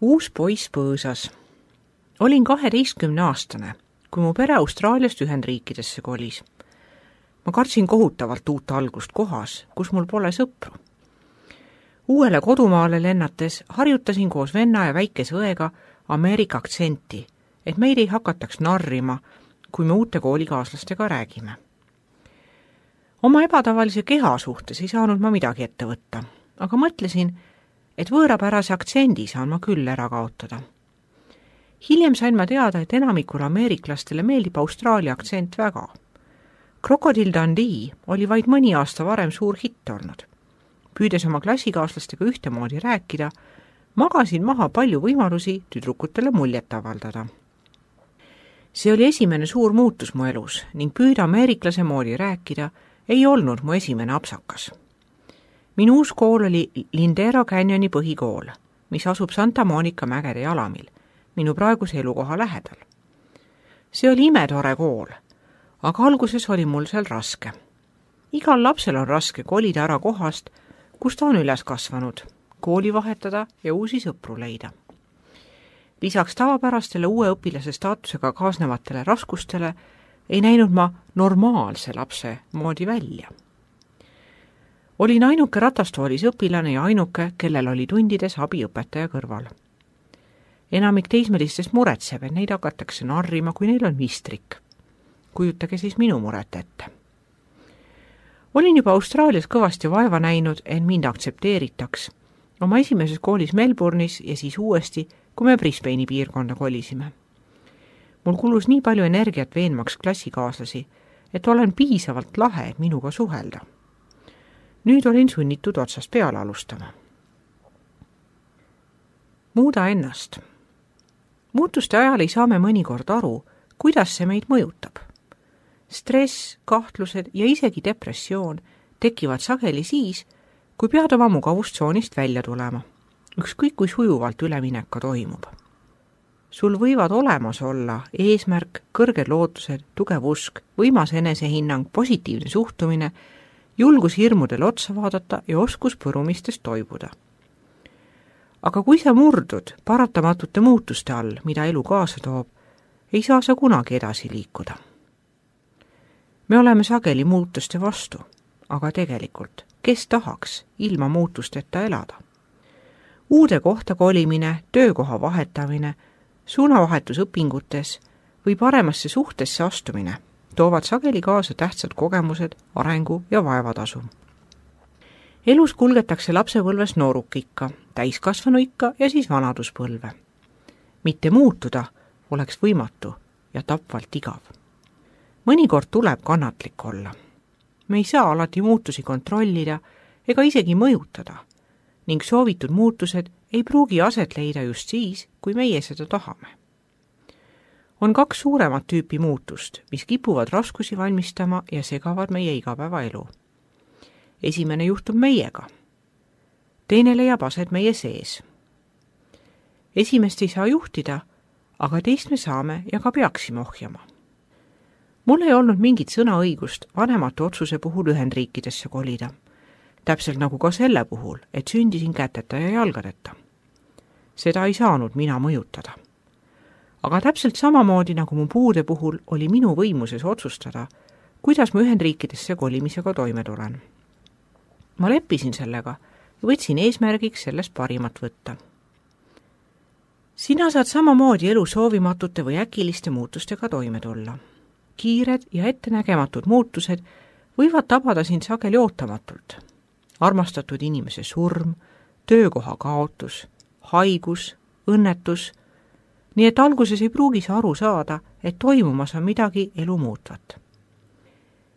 Uus poiss põõsas. Olin 12-aastane, kui mu pere Austraaliast Ühendriikidesse kolis. Ma kartsin kohutavalt uut algust kohas, kus mul pole sõpru. Uuele kodumaale lennates harjutasin koos venna ja väikese õega Ameerika aktsenti, et meid ei hakataks narrima, kui me uute koolikaaslastega räägime. Oma ebatavalise keha suhtes ei saanud ma midagi ette võtta, aga mõtlesin, et võõrapärase aktsendi saan ma küll ära kaotada. Hiljem sain ma teada, et enamikule ameeriklastele meeldib Austraalia aktsent väga. Crocodile Dundee oli vaid mõni aasta varem suur hitt olnud. Püüdes oma klassikaaslastega ühtemoodi rääkida, magasin maha palju võimalusi tüdrukutele muljet avaldada. See oli esimene suur muutus mu elus ning püüda ameeriklase moodi rääkida ei olnud mu esimene apsakas. Minu uus kool oli Lindero Canyoni põhikool, mis asub Santa Monica mägede jalamil, minu praeguse elukoha lähedal. See oli imetore kool, aga alguses oli mul seal raske. Igal lapsel on raske kolida ära kohast, kus ta on üles kasvanud, kooli vahetada ja uusi sõpru leida. Lisaks tavapärastele uue õpilase staatusega kaasnevatele raskustele ei näinud ma normaalse lapse moodi välja. Olin ainuke ratastoolis õpilane ja ainuke, kellel oli tundides abiõpetaja kõrval. Enamik teismelistest muretseb, et neid hakatakse narrima, kui neil on vistrik. Kujutage siis minu muret ette. Olin juba Austraalias kõvasti vaeva näinud, et mind aktsepteeritaks. Oma esimeses koolis Melbourne'is ja siis uuesti, kui me Brisbane'i piirkonda kolisime. Mul kulus nii palju energiat veenmaks klassikaaslasi, et olen piisavalt lahe, et minuga suhelda. Nüüd olin sunnitud otsast peale alustama. Muuda ennast. Muutuste ajal ei saa me mõnikord aru, kuidas see meid mõjutab. Stress, kahtlused ja isegi depressioon tekivad sageli siis, kui pead oma mugavustsoonist välja tulema. Ükskõik kui sujuvalt üleminek ka toimub. Sul võivad olemas olla eesmärk, kõrged lootused, tugev usk, võimas enesehinnang, positiivne suhtumine, julgus hirmudele otsa vaadata ja oskus põrumistest toibuda. Aga kui sa murdud paratamatute muutuste all, mida elu kaasa toob, ei saa sa kunagi edasi liikuda. Me oleme sageli muutuste vastu, aga tegelikult, kes tahaks ilma muutusteta elada? Uude kohta kolimine, töökoha vahetamine, suunavahetus õpingutes või paremasse suhtesse astumine toovad sageli kaasa tähtsad kogemused, arengu ja vaevatasu. Elus kulgetakse lapsepõlves noorukikka, täiskasvanuikka ja siis vanaduspõlve. Mitte muutuda oleks võimatu ja tapvalt igav. Mõnikord tuleb kannatlik olla. Me ei saa alati muutusi kontrollida ega isegi mõjutada ning soovitud muutused ei pruugi aset leida just siis, kui meie seda tahame. On 2 suuremat tüüpi muutust, mis kipuvad raskusi valmistama ja segavad meie igapäevaelu. Esimene juhtub meiega. Teine leiab aset meie sees. Esimest ei saa juhtida, aga teist me saame ja ka peaksime ohjama. Mul ei olnud mingit sõnaõigust vanemate otsuse puhul Ühendriikidesse kolida. Täpselt nagu ka selle puhul, et sündisin käteta ja jalgadeta. Seda ei saanud mina mõjutada. Aga täpselt samamoodi nagu mu puude puhul oli minu võimuses otsustada, kuidas ma Ühendriikidesse kolimisega toime tulen. Ma leppisin sellega ja võtsin eesmärgiks sellest parimat võtta. Sina saad samamoodi elu soovimatute või äkiliste muutustega toime tulla. Kiired ja ettenägematud muutused võivad tabada sind sageli ootamatult. Armastatud inimese surm, töökoha kaotus, haigus, õnnetus, nii et alguses ei pruugi sa aru saada, et toimumas on midagi elu muutvat.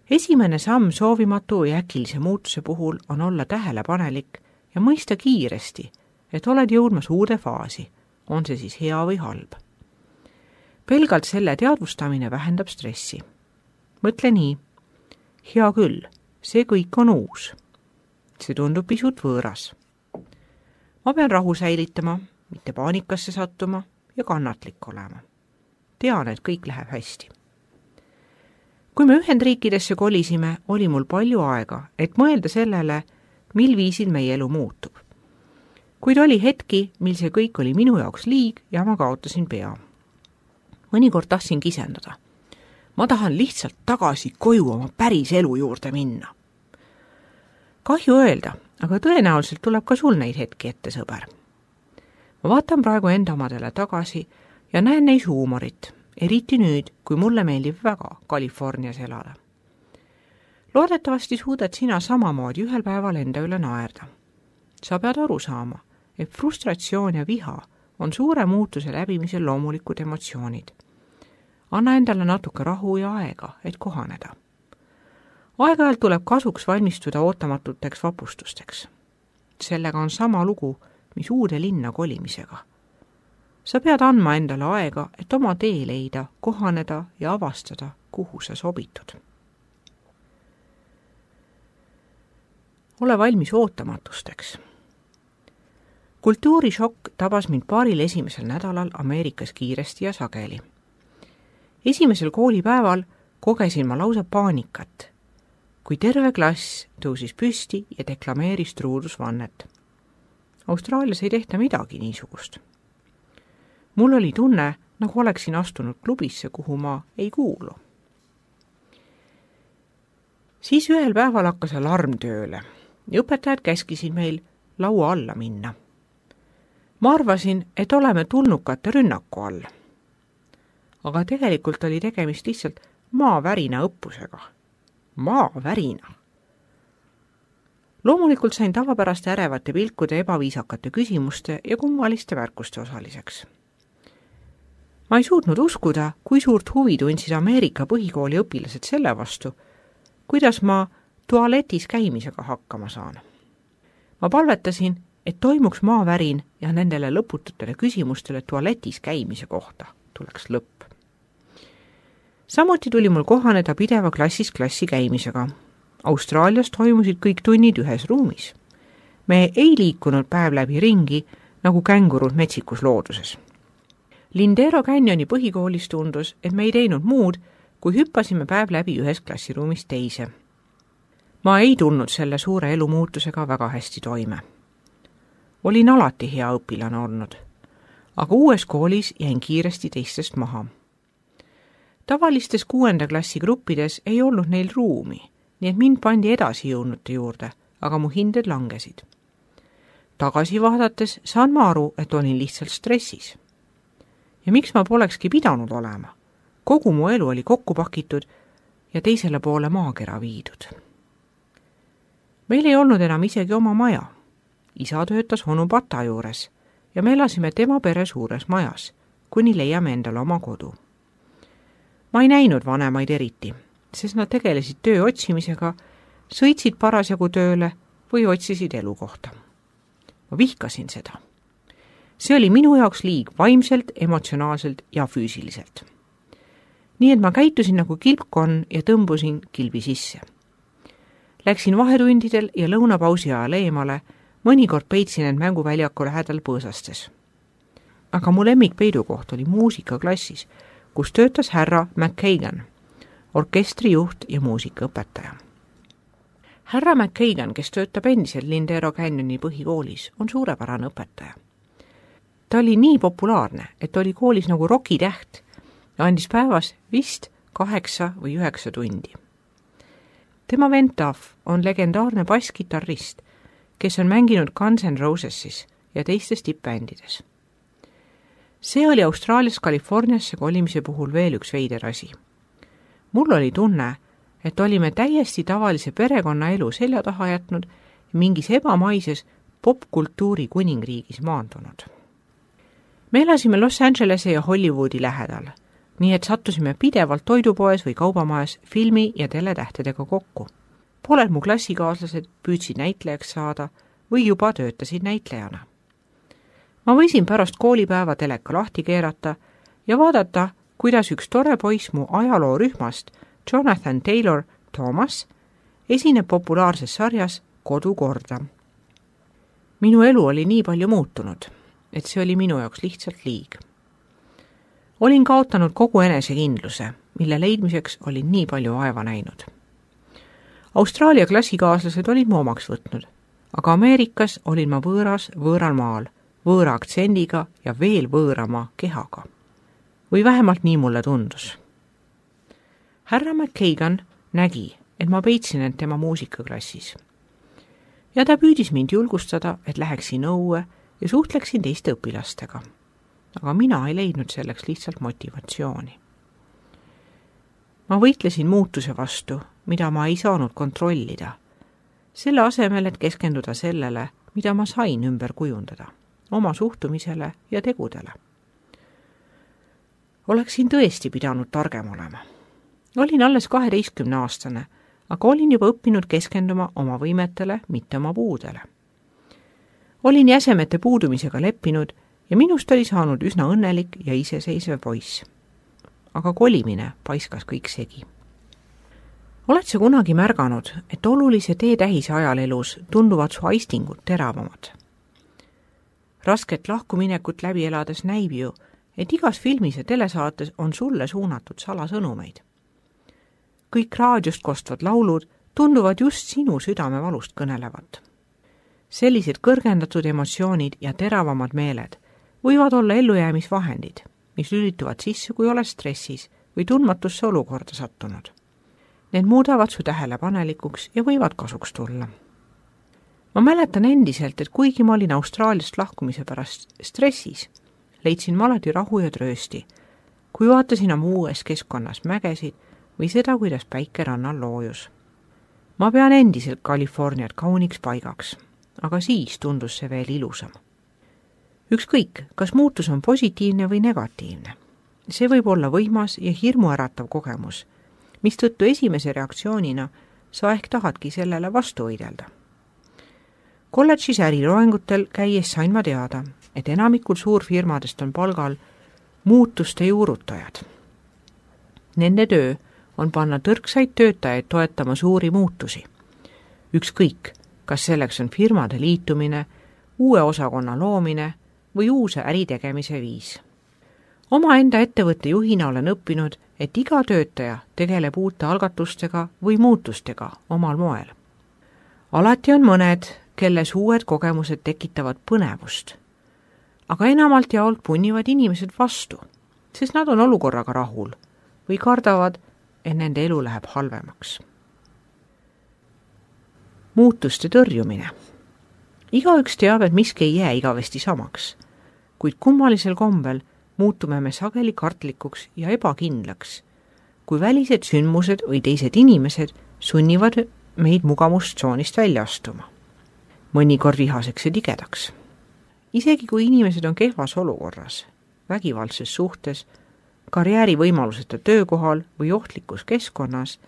Esimene samm soovimatu ja äkilise muutuse puhul on olla tähelepanelik ja mõista kiiresti, et oled jõudmas uude faasi, on see siis hea või halb. Pelgalt selle teadvustamine vähendab stressi. Mõtle nii, hea küll, see kõik on uus. See tundub pisut võõras. Ma pean rahu säilitama, mitte paanikasse sattuma ja kannatlik olema. Tean, et kõik läheb hästi. Kui me Ühendriikidesse kolisime, oli mul palju aega, et mõelda sellele, mil viisil meie elu muutub. Kuid oli hetki, mil see kõik oli minu jaoks liig ja ma kaotasin pea. Mõnikord tahtsin kisendada. Ma tahan lihtsalt tagasi koju oma päris elu juurde minna. Kahju öelda, aga tõenäoliselt tuleb ka sul neid hetki ette, sõber. Ma vaatan praegu enda omadele tagasi ja näen neis huumorit, eriti nüüd, kui mulle meeldib väga Californias elada. Loodetavasti suudad sina samamoodi ühel päeval enda üle naerda. Sa pead aru saama, et frustratsioon ja viha on suure muutuse läbimisel loomulikud emotsioonid. Anna endale natuke rahu ja aega, et kohaneda. Aeg-ajalt tuleb kasuks valmistuda ootamatuteks vapustusteks. Sellega on sama lugu, mis uude linna kolimisega. Sa pead andma endale aega, et oma tee leida, kohaneda ja avastada, kuhu sa sobitud. Ole valmis ootamatusteks. Kultuurishokk tabas mind paaril esimesel nädalal Ameerikas kiiresti ja sageli. Esimesel koolipäeval kogesin ma lausa paanikat, kui terve klass tõusis püsti ja deklameeris truudusvannet. Austraalias ei tehta midagi niisugust. Mul oli tunne, nagu oleksin astunud klubisse, kuhu ma ei kuulu. Siis ühel päeval hakkas alarm tööle ja õpetajad käskisid meil laua alla minna. Ma arvasin, et oleme tulnukate rünnaku all. Aga tegelikult oli tegemist lihtsalt maavärina õppusega. Maavärina. Loomulikult sain tavapäraste ärevate pilkude, ebaviisakate küsimuste ja kummaliste märkuste osaliseks. Ma ei suutnud uskuda, kui suurt huvi tundsid Ameerika põhikooli õpilased selle vastu, kuidas ma tualetis käimisega hakkama saan. Ma palvetasin, et toimuks maavärin ja nendele lõpututele küsimustele tualetis käimise kohta tuleks lõpp. Samuti tuli mul kohaneda pideva klassist klassi käimisega. Austraalias toimusid kõik tunnid ühes ruumis. Me ei liikunud päev läbi ringi, nagu kängurud metsikus looduses. Lindero Canyoni põhikoolis tundus, et me ei teinud muud, kui hüppasime päev läbi ühes klassiruumist teise. Ma ei tulnud selle suure elumuutusega väga hästi toime. Olin alati hea õpilane olnud, aga uues koolis jäin kiiresti teistest maha. Tavalistes 6. klassi gruppides ei olnud neil ruumi, nii et mind pandi edasi jõudnute juurde, aga mu hinded langesid. Tagasi vaadates saan ma aru, et olin lihtsalt stressis. Ja miks ma polekski pidanud olema? Kogu mu elu oli kokku pakitud ja teisele poole maakera viidud. Meil ei olnud enam isegi oma maja. Isa töötas onu Pata juures ja me elasime tema pere suures majas, kuni leiame endale oma kodu. Ma ei näinud vanemaid eriti, sest nad tegelesid töö otsimisega, sõitsid parasjagu tööle või otsisid elukohta. Ma vihkasin seda. See oli minu jaoks liig vaimselt, emotsionaalselt ja füüsiliselt. Nii et ma käitusin nagu kilpkonn ja tõmbusin kilbi sisse. Läksin vahetundidel ja lõunapausi ajal eemale, mõnikord peitsin end mänguväljaku lähedal põõsastes. Aga mu lemmikpeidukoht oli muusikaklassis, kus töötas härra McKagan, orkestrijuht ja muusikaõpetaja. Härra McKagan, kes töötab endiselt Lindero Canyoni põhikoolis, on suurepärane õpetaja. Ta oli nii populaarne, et oli koolis nagu rokitäht ja andis päevas vist 8 või 9 tundi. Tema vend Duff on legendaarne basskitarrist, kes on mänginud Guns N' Rosesis ja teistes tippbändides. See oli Austraalias Californiasse kolimise puhul veel üks veider asi. Mul oli tunne, et olime täiesti tavalise perekonna elu selja taha jätnud ja mingis ebamaises popkultuuri kuningriigis maandunud. Me elasime Los Angelese ja Hollywoodi lähedal, nii et sattusime pidevalt toidupoes või kaubamajas filmi- ja teletähtedega kokku. Pooled mu klassikaaslased püüdsid näitlejaks saada või juba töötasid näitlejana. Ma võisin pärast koolipäeva teleka lahti keerata ja vaadata, kuidas üks tore poiss mu ajaloorühmast, Jonathan Taylor Thomas, esineb populaarses sarjas Kodu korda. Minu elu oli nii palju muutunud, et see oli minu jaoks lihtsalt liig. Olin kaotanud kogu enesekindluse, mille leidmiseks olin nii palju vaeva näinud. Austraalia klassikaaslased olid mu omaks võtnud, aga Ameerikas olin ma võõras võõral maal, võõra aktsendiga ja veel võõrama kehaga. Või vähemalt nii mulle tundus. Härra McKagan nägi, et ma peitsin end tema muusikaklassis. Ja ta püüdis mind julgustada, et läheksin õue ja suhtleksin teiste õpilastega. Aga mina ei leidnud selleks lihtsalt motivatsiooni. Ma võitlesin muutuse vastu, mida ma ei saanud kontrollida, selle asemel, et keskenduda sellele, mida ma sain ümber kujundada, oma suhtumisele ja tegudele. Oleksin tõesti pidanud targem olema. Olin alles 12-aastane, aga olin juba õppinud keskenduma oma võimetele, mitte oma puudele. Olin jäsemete puudumisega leppinud ja minust oli saanud üsna õnnelik ja iseseisev poiss. Aga kolimine paiskas kõik segi. Oled sa kunagi märganud, et olulise teetähise ajal elus tunduvad su aistingud teravamad? Rasket lahkuminekut läbi elades näib ju, et igas filmis ja telesaates on sulle suunatud salasõnumeid. Kõik raadiost kostvad laulud tunduvad just sinu südamevalust kõnelevat. Sellised kõrgendatud emotsioonid ja teravamad meeled võivad olla ellujäämisvahendid, mis lülituvad sisse, kui oled stressis või tundmatusse olukorda sattunud. Need muudavad su tähelepanelikuks ja võivad kasuks tulla. Ma mäletan endiselt, et kuigi ma olin Austraaliast lahkumise pärast stressis, leidsin ma alati rahu ja tröösti, kui vaatasin oma uues keskkonnas mägesid või seda, kuidas päike rannal loojus. Ma pean endiselt Californiat kauniks paigaks, aga siis tundus see veel ilusam. Ükskõik, kas muutus on positiivne või negatiivne. See võib olla võimas ja hirmuäratav kogemus, mistõttu esimese reaktsioonina sa ehk tahadki sellele vastu võidelda. Kolledžis äriloengutel käies sain ma teada, et enamikul suurfirmadest on palgal muutuste juurutajad. Nende töö on panna tõrksaid töötajaid toetama suuri muutusi. Ükskõik, kas selleks on firmade liitumine, uue osakonna loomine või uus äritegemise viis. Omaenda ettevõtte juhina olen õppinud, et iga töötaja tegeleb uute algatustega või muutustega omal moel. Alati on mõned, kelles uued kogemused tekitavad põnevust, aga enamalt jaolt punnivad inimesed vastu, sest nad on olukorraga rahul või kardavad, et nende elu läheb halvemaks. Muutuste tõrjumine. Igaüks teab, et miski ei jää igavesti samaks, kuid kummalisel kombel muutume me sageli kartlikuks ja ebakindlaks, kui välised sündmused või teised inimesed sunnivad meid mugavustsoonist välja astuma. Mõnikord vihaseks ja tigedaks. Isegi kui inimesed on kehvas olukorras, vägivaldses suhtes, karjäärivõimaluseta töökohal või ohtlikus keskkonnas,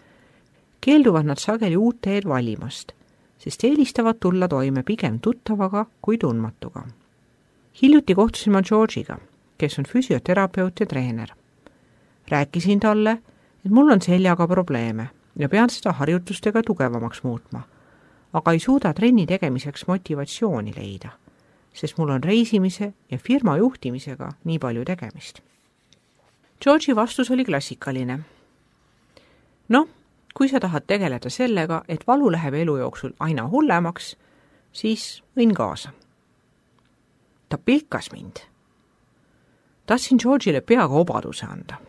keelduvad nad sageli uut teed valimast, sest eelistavad tulla toime pigem tuttavaga kui tundmatuga. Hiljuti kohtusin ma Georgiga, kes on füsioterapeut ja treener. Rääkisin talle, et mul on seljaga probleeme ja pean seda harjutustega tugevamaks muutma, aga ei suuda trenni tegemiseks motivatsiooni leida, sest mul on reisimise ja firma juhtimisega nii palju tegemist. Georgi vastus oli klassikaline. No, kui sa tahad tegeleda sellega, et valu läheb elu jooksul aina hullemaks, siis võin kaasa. Ta pilkas mind. Tahtsin Georgile peaga obaduse anda.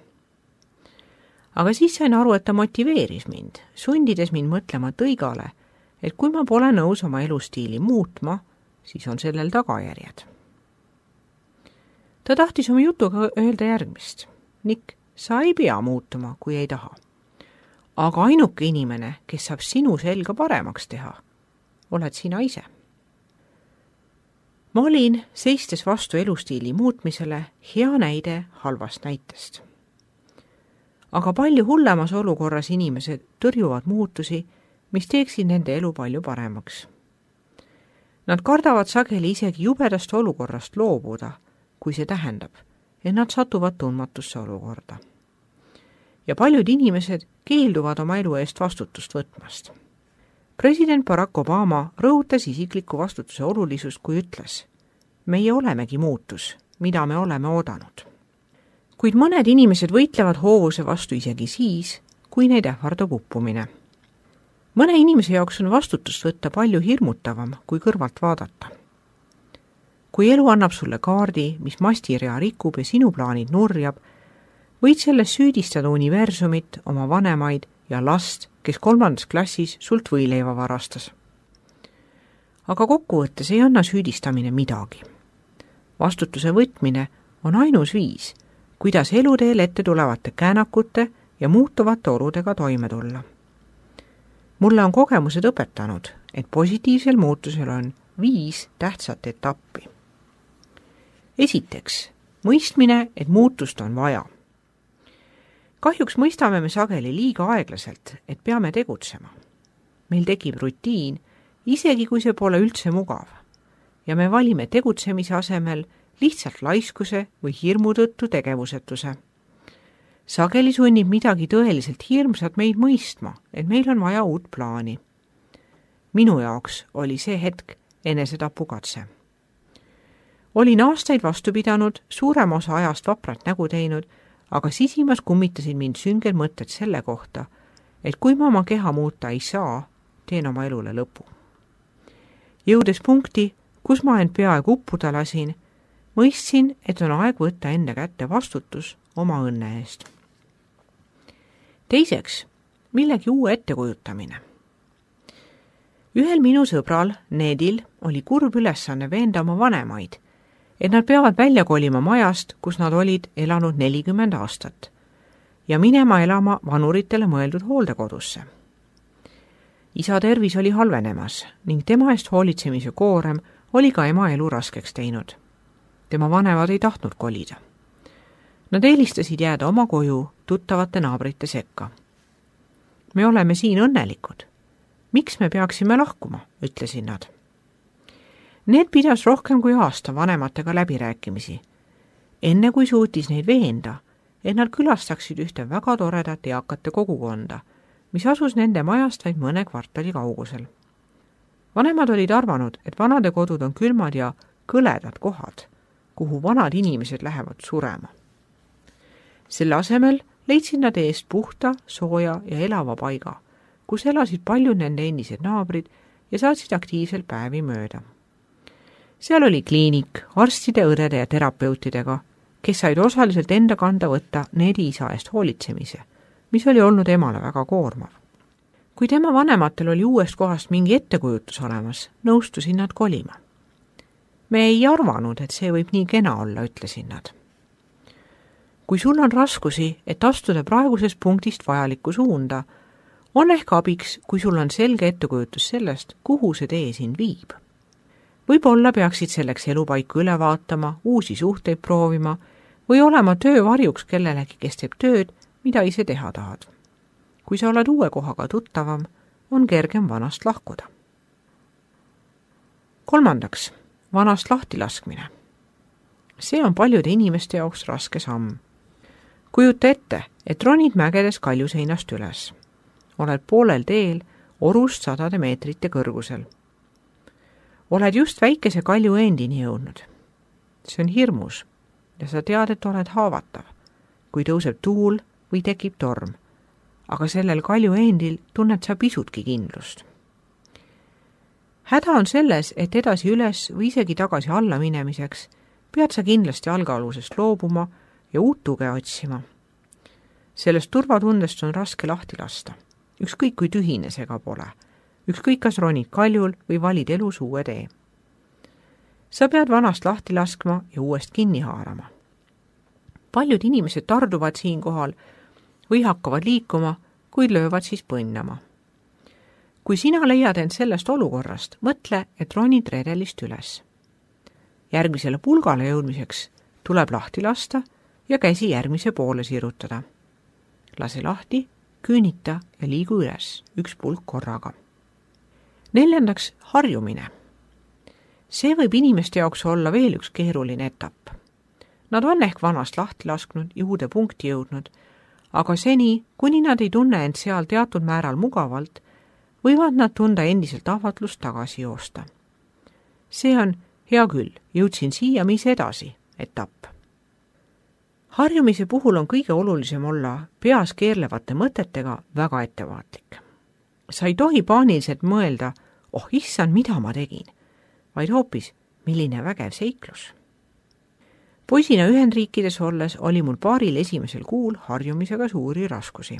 Aga siis sain aru, et ta motiveeris mind, sundides mind mõtlema tõigale, et kui ma pole nõus oma elustiili muutma, siis on sellel tagajärjed. Ta tahtis oma jutuga öelda järgmist. Nick, sa ei pea muutuma, kui ei taha. Aga ainuke inimene, kes saab sinu selga paremaks teha, oled sina ise. Ma olin, seistes vastu elustiili muutmisele, hea näide halvast näitest. Aga palju hullemas olukorras inimesed tõrjuvad muutusi, mis teeksid nende elu palju paremaks. Nad kardavad sageli isegi jubedast olukorrast loobuda, kui see tähendab, et nad satuvad tundmatusse olukorda. Ja paljud inimesed keelduvad oma elu eest vastutust võtmast. President Barack Obama rõhutas isikliku vastutuse olulisust, kui ütles, meie olemegi muutus, mida me oleme oodanud. Kuid mõned inimesed võitlevad hoovuse vastu isegi siis, kui neid ähvardab uppumine. Mõne inimese jaoks on vastutust võtta palju hirmutavam kui kõrvalt vaadata. Kui elu annab sulle kaardi, mis mastirea rikub ja sinu plaanid nurjab, võid selles süüdistada universumit, oma vanemaid ja last, kes 3. klassis sult võileiva varastas. Aga kokkuvõttes ei anna süüdistamine midagi. Vastutuse võtmine on ainus viis, kuidas eluteel ette tulevate käänakute ja muutuvate oludega toime tulla. Mulle on kogemused õpetanud, et positiivsel muutusel on 5 tähtsat etappi. Esiteks, mõistmine, et muutust on vaja. Kahjuks mõistame me sageli liiga aeglaselt, et peame tegutsema. Meil tekib rutiin, isegi kui see pole üldse mugav, ja me valime tegutsemise asemel lihtsalt laiskuse või hirmu tõttu tegevusetuse. Sageli sunnib midagi tõeliselt hirmsat meid mõistma, et meil on vaja uut plaani. Minu jaoks oli see hetk enesetapukatse. Olin aastaid vastu pidanud, suurema osa ajast vaprat nägu teinud, aga sisimas kummitasid mind süngel mõtted selle kohta, et kui ma oma keha muuta ei saa, teen oma elule lõpu. Jõudes punkti, kus ma end peaaegu uppuda lasin, mõistsin, et on aeg võtta enda kätte vastutus oma õnne eest. Teiseks, millegi uue ettekujutamine. Ühel minu sõbral, Nedil, oli kurb ülesanne veenda oma vanemaid, et nad peavad välja kolima majast, kus nad olid elanud 40 aastat ja minema elama vanuritele mõeldud hooldekodusse. Isa tervis oli halvenemas ning tema eest hoolitsemise koorem oli ka ema elu raskeks teinud. Tema vanemad ei tahtnud kolida. Nad eelistasid jääda oma koju tuttavate naabrite sekka. Me oleme siin õnnelikud. Miks me peaksime lahkuma, ütlesid nad. Need pidas rohkem kui aasta vanematega läbirääkimisi, enne kui suutis neid veenda, et nad külastaksid ühte väga toredat eakate kogukonda, mis asus nende majast vaid mõne kvartali kaugusel. Vanemad olid arvanud, et vanade kodud on külmad ja kõledad kohad, kuhu vanad inimesed lähevad surema. Selle asemel leidsid nad eest puhta, sooja ja elava paiga, kus elasid paljud nende endised naabrid ja saatsid aktiivselt päevi mööda. Seal oli kliinik arstide, õdede ja terapeutidega, kes said osaliselt enda kanda võtta Nedi isa eest hoolitsemise, mis oli olnud emale väga koormav. Kui tema vanematel oli uuest kohast mingi ettekujutus olemas, nõustusid nad kolima. Me ei arvanud, et see võib nii kena olla, ütlesid nad. Kui sul on raskusi, et astuda praegusest punktist vajalikku suunda, on ehk abiks, kui sul on selge ettekujutus sellest, kuhu see tee sind viib. Võib-olla peaksid selleks elupaiku üle vaatama, uusi suhteid proovima või olema töövarjuks kellelegi, kes teeb tööd, mida ise teha tahad. Kui sa oled uue kohaga tuttavam, on kergem vanast lahkuda. Kolmandaks, vanast lahtilaskmine. See on paljude inimeste jaoks raske samm. Kujuta ette, et ronid mägedes kaljuseinast üles. Oled poolel teel orust 100 meetrite kõrgusel. Oled just väikese kalju endini jõudnud. See on hirmus ja sa tead, et oled haavatav, kui tõuseb tuul või tekib torm, aga sellel kalju endil tunned sa pisutki kindlust. Häda on selles, et edasi üles või isegi tagasi alla minemiseks pead sa kindlasti algaalusest loobuma ja uut tuge otsima. Sellest turvatundest on raske lahti lasta, ükskõik kui tühine see ka pole. Ükskõik kas ronid kaljul või valid elus uue tee. Sa pead vanast lahti laskma ja uuest kinni haarama. Paljud inimesed tarduvad siinkohal või hakkavad liikuma, kuid löövad siis põnnama. Kui sina leiad end sellest olukorrast, mõtle, et ronid redelist üles. Järgmisele pulgale jõudmiseks tuleb lahti lasta ja käsi järgmise poole sirutada. Lase lahti, küünita ja liigu üles, üks pulk korraga. Neljandaks, harjumine. See võib inimeste jaoks olla veel üks keeruline etapp. Nad on ehk vanast lahti lasknud ja uude punkti jõudnud, aga seni, kuni nad ei tunne end seal teatud määral mugavalt, võivad nad tunda endiselt ahvatlust tagasi joosta. See on, hea küll, jõudsin siia, mis edasi, etapp. Harjumise puhul on kõige olulisem olla peas keerlevate mõtetega väga ettevaatlik. Sa ei tohi paaniliselt mõelda, oh issand, mida ma tegin, vaid hoopis, milline vägev seiklus. Poisina Ühendriikides olles oli mul paaril esimesel kuul harjumisega suuri raskusi.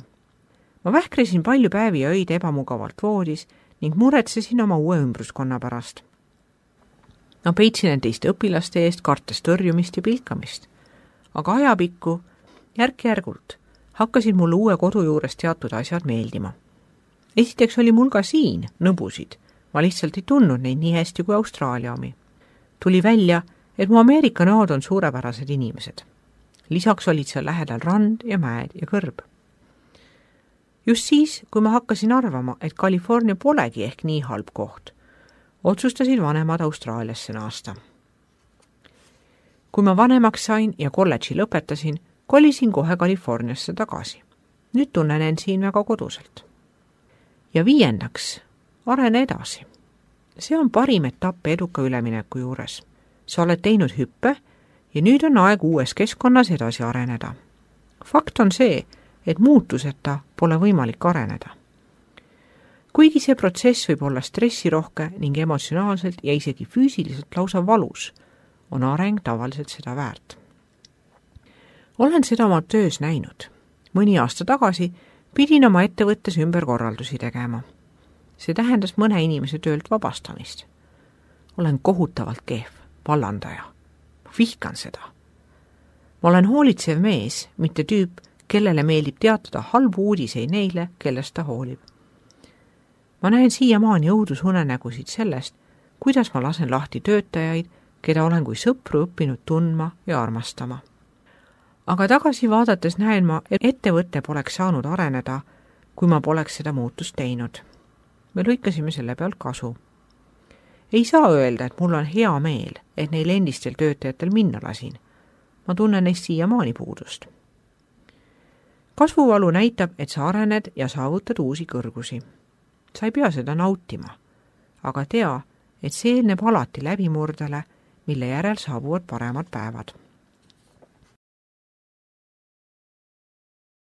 Ma vähkresin palju päevi ja öid ebamugavalt voodis ning muretsesin oma uue ümbruskonna pärast. Ma peitsin end teiste õpilaste eest, kartes tõrjumist ja pilkamist. Aga ajapikku, järk-järgult, hakkasid mulle uue kodu juures teatud asjad meeldima. Esiteks oli mul ka siin nõbusid. Ma lihtsalt ei tundnud neid nii hästi kui Austraalia omi. Tuli välja, et mu Ameerika näod on suurepärased inimesed. Lisaks olid seal lähedal rand ja mäed ja kõrb. Just siis, kui ma hakkasin arvama, et California polegi ehk nii halb koht, otsustasid vanemad Austraaliasse naasta. Kui ma vanemaks sain ja kolledži lõpetasin, kolisin kohe Californiasse tagasi. Nüüd tunnen end siin väga koduselt. Ja 5. arene edasi. See on parim etapp eduka ülemineku juures. Sa oled teinud hüppe ja nüüd on aeg uues keskkonnas edasi areneda. Fakt on see, et muutuseta pole võimalik areneda. Kuigi see protsess võib olla stressirohke ning emotsionaalselt ja isegi füüsiliselt lausa valus, on areng tavaliselt seda väärt. Olen seda oma töös näinud. Mõni aasta tagasi pidin oma ettevõttes ümberkorraldusi tegema. See tähendas mõne inimese töölt vabastamist. Olen kohutavalt kehv, vallandaja. Ma vihkan seda. Ma olen hoolitsev mees, mitte tüüp, kellele meeldib teatada halbu uudiseid neile, kellest ta hoolib. Ma näen siiamaani õudusunenägusid sellest, kuidas ma lasen lahti töötajaid, keda olen kui sõpru õppinud tundma ja armastama. Aga tagasi vaadates näen ma, et ettevõte poleks saanud areneda, kui ma poleks seda muutust teinud. Me lõikasime selle pealt kasu. Ei saa öelda, et mul on hea meel, et neil endistel töötajatel minna lasin. Ma tunnen neist siiamaani puudust. Kasvuvalu näitab, et sa arened ja saavutad uusi kõrgusi. Sa ei pea seda nautima, aga tea, et see eelneb alati läbimurdele, mille järel saabuvad paremad päevad.